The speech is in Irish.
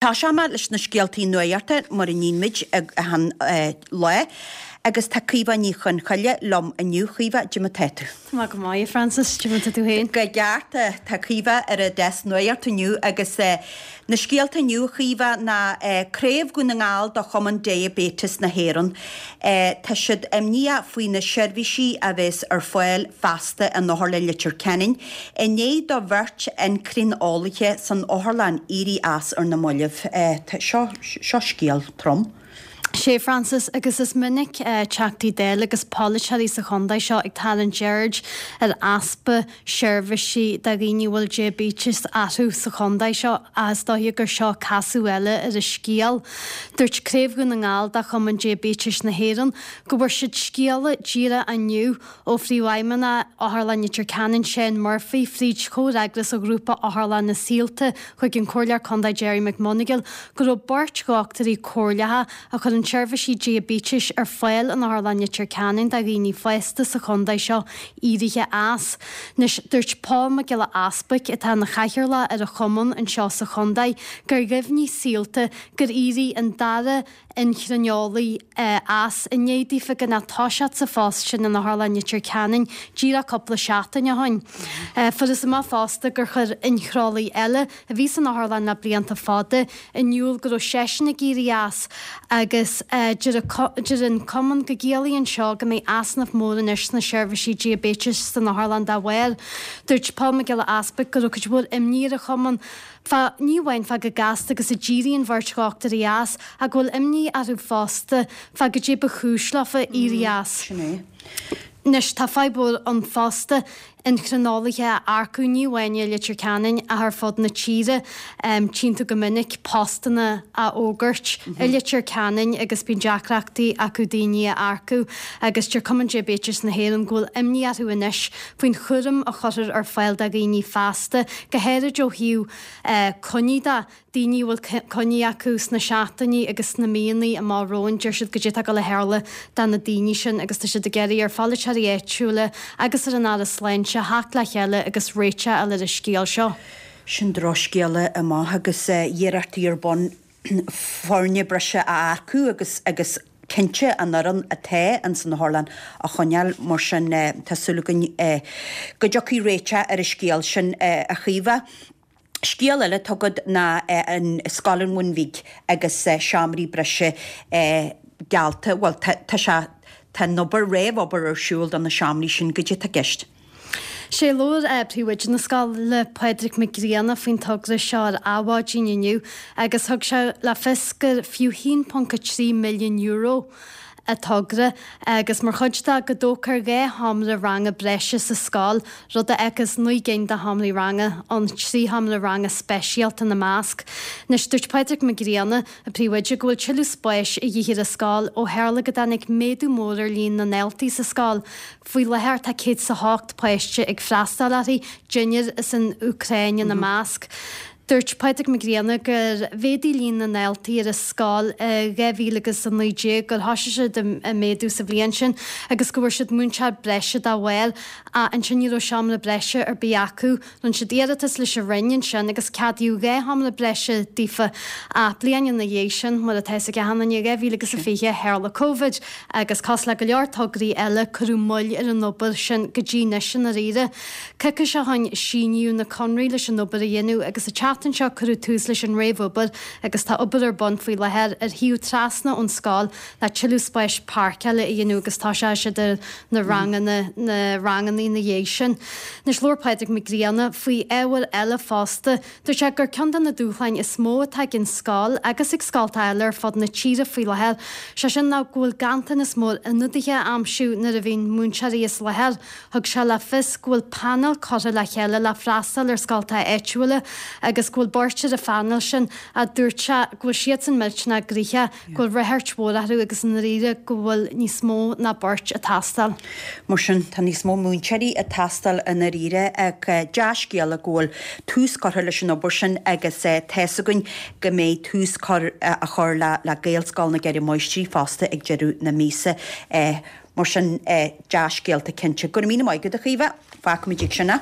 Tosóidh mé leis na scéaltaí nuachta mar a níonn muid achan lá agus tá Caoimhe Ní Chonchoille liom inniu. Caoimhe, cad é mar tá tú? Tá mé go maith, a Frances, cad é mar tá tú féin? Go ceart, tá Caoimhe ar an deasc nuachta inniu agus na scéalta inniu, a Chaoimhe, ná Craobh Dhún na nGall do Chumann Diaibéitis na hÉireann. Tá siad imníoch faoi na seirbhísí a bheas ar fáil feasta in Otharlann Leitir Ceanainn i ndiaidh do bheirt incrineolaithe san otharlann éirí as ar na mallaibh. Seo, seo scéal trom. Sé Frances, agus is minic Teachtaí Dála agus polaiteoirí sa chontae seo ag tarraingt aird ar easpa seirbhísí do dhaoine a bhfuil diaibéiteas orthu sa chontae seo ach is dóiche gur seo casadh eile ar an scéal. Dúirt Craobh Dhún na nGall de Chumann Diaibéitis na hÉireann go bhfuair siad scéala díreach inniu ó Phríomhfheidhmeannach Otharlann Leitir Ceanainn, Shane Murphy, fríd chomhfhreagras ó Ghrúpa Otharlanna Saolta chuig an Comhairleoir Contae Gerry McMonagall go raibh beirt dhochtúirí comhairleacha a chuireann seirbhísí diaibéitis ar fáil in Otharlann Leitir Ceanainn do dhaoine fásta sa chontae seo éirithe as. Anois, dúirt Pól Mac Giolla Easbuic, atá ina chathaoirleach ar an chumann anseo sa chontae, gur dheimhnigh Saolta gur éirigh an dara inchrineolaí as i ndiaidh daofa gan ach toiseacht sa phost sin in Otharlann Leitir Ceanainn díreach cúpla seachtain ó shin. Fuarthas amach fosta gur chuir inchrineolaí eile, a bhí san otharlann le blianta fada, in iúl go raibh seisean ag éirí as agus deir an cumann go gciallaíonn seo go mbeidh easnamh mór anois sna seirbhísí diaibéitis san otharlann dá bharr. Dúirt Pól Mac Giolla Easbuic go raibh cuid mhór imní ar an chumann fá, ní amháin fá chomh gasta agus a d'éirigh an bheirt dhochtúirí as ach go bhfuil imní orthu fosta fá goidé ba chúis leofa éirí as. Sin é. Anois tá fadhb mhór ann fosta inchrineolaithe a earcú, ní amháin i Leitir Ceanainn ach ar fud na tíre. Tchíonn tú go minic postanna á fhógairt i Leitir Ceanainn agus bíonn deacrachtaí acu daoine a earcú agus deir Cumann Diaibéitis na hÉireann go bhfuil imní orthu anois faoin chúram a chuirfear ar fáil do dhaoine feasta, go háirid ó thaobh coinní de. daoine a bhfuil coinní acu sna seachtainí agus sna míonna amach romhainn, deir siad goidé atá ag dul a tharlú do na daoine sin agus tá siad ag iarraidh ar pholaiteoirí áitiúla agus ar an Aire Sláinte theacht le chéile agus réiteach a fháil ar an scéal seo. Sin drochscéala amach agus iarrachtaí ar bun foirne breise a earcú agus agus cinnte an fhoireann atá ins an otharlann a choinneáil. Mar sin tá súil againn go dtiocfaidh réiteach ar an scéal sin a Chaoimhe. Scéal eile atá agat ná an Scoil an Bhun Bhig agus seomraí breise geallta, bhuel tá sé, tá an obair, réamh-obair ar siúl do na seomraí sin, goidé atá i gceist? Sé labhair Príomhoide na scoile, Pádraig Mac Grianna, faoin togra seo ar Adhmhaidin inniu agus thug sé le fios gur fiú €1.3 milliún an togra agus mar chuid de go dtógfar 2 sheomra ranga breise sa scoil, rud a fhágfas 9 gcinn de sheomraí ranga ann, 3 sheomra ranga speisialta ina measc. Anois, dúirt Pádraig Mac Grianna, an príomhoide, go bhfuil tuilleadh spáis a dhíth ar an scoil ó tharla go dtáinig méadú mór ar líon na ndaltaí sa scoil. Faoi láthair tá 108 páiste ag freastal uirthi, deichniúr as an Úcráin ina measc. Dúirt Pádraig Mac Grianna gur mhéadaigh líon na ndaltaí ar an scoil i 2019, gur thosaigh siad ag méadú sa bhliain sin agus go bhfuair siad múinteoir breise dá bharr ach ansin ní raibh seomra breise ar bith acu. Rinne siad iarratas leis an Roinn ansin agus ceadaíodh 2 sheomra breise daofa ach bliain ina dhiaidh sin, mar atá fhios ag achan duine, 2020, tharla Covid agus cosúil le go leor tograí eile cuireadh moill ar an obair sin go dtí anois i ndáiríre. Coicís ó shin síníodh na conraí leis an obair a dhéanamh agus an tseachtain seo cuireadh tús leis an réamhobair agus tá obair ar bun faoi láthair ar thaobh trasna ón scoil le tuilleadh spáis páirceála a dhéanamh agus tosóidh siad ar na ranganna na ranganna ina dhiaidh sin. Anois labhair Pádraig Mac Grianna faoi ábhar eile fosta. Dúirt sé gur ceann de na dúshláin is mó atá ag an scoil agus ag scolta eile ar fud na tíre faoi láthair, sé sin ná go bhfuil ganntanas mór ionadaithe a aimsiú nuair a bhíonn múinteoirí as láthair. Thug sé le fios go bhfuil painéal curtha le chéile le freastal ar scoltacha áitiúla agus go bhfuil beirt ar an phainéal sin ach dúirt sé go bhfuil siadsan millteanach gnoitheach, go bhfuil ráchairt mhór orthu agus i ndáiríre go bhfuil níos mó ná beirt ag teastáil. Mar sin, tá níos mó múinteoirí ag teastáil i ndáiríre ach dea-scéala go bhfuil tús curtha leis an obair sin agus tá's againn go mbeidh tús á chur le Gaelscoil na gCeithre Máistrí fosta ag deireadh na míosa. Mar sin, dea-scéalta cinnte. Go raibh míle maith agat, a Chaoimhe. Fágfaimid ag sin é.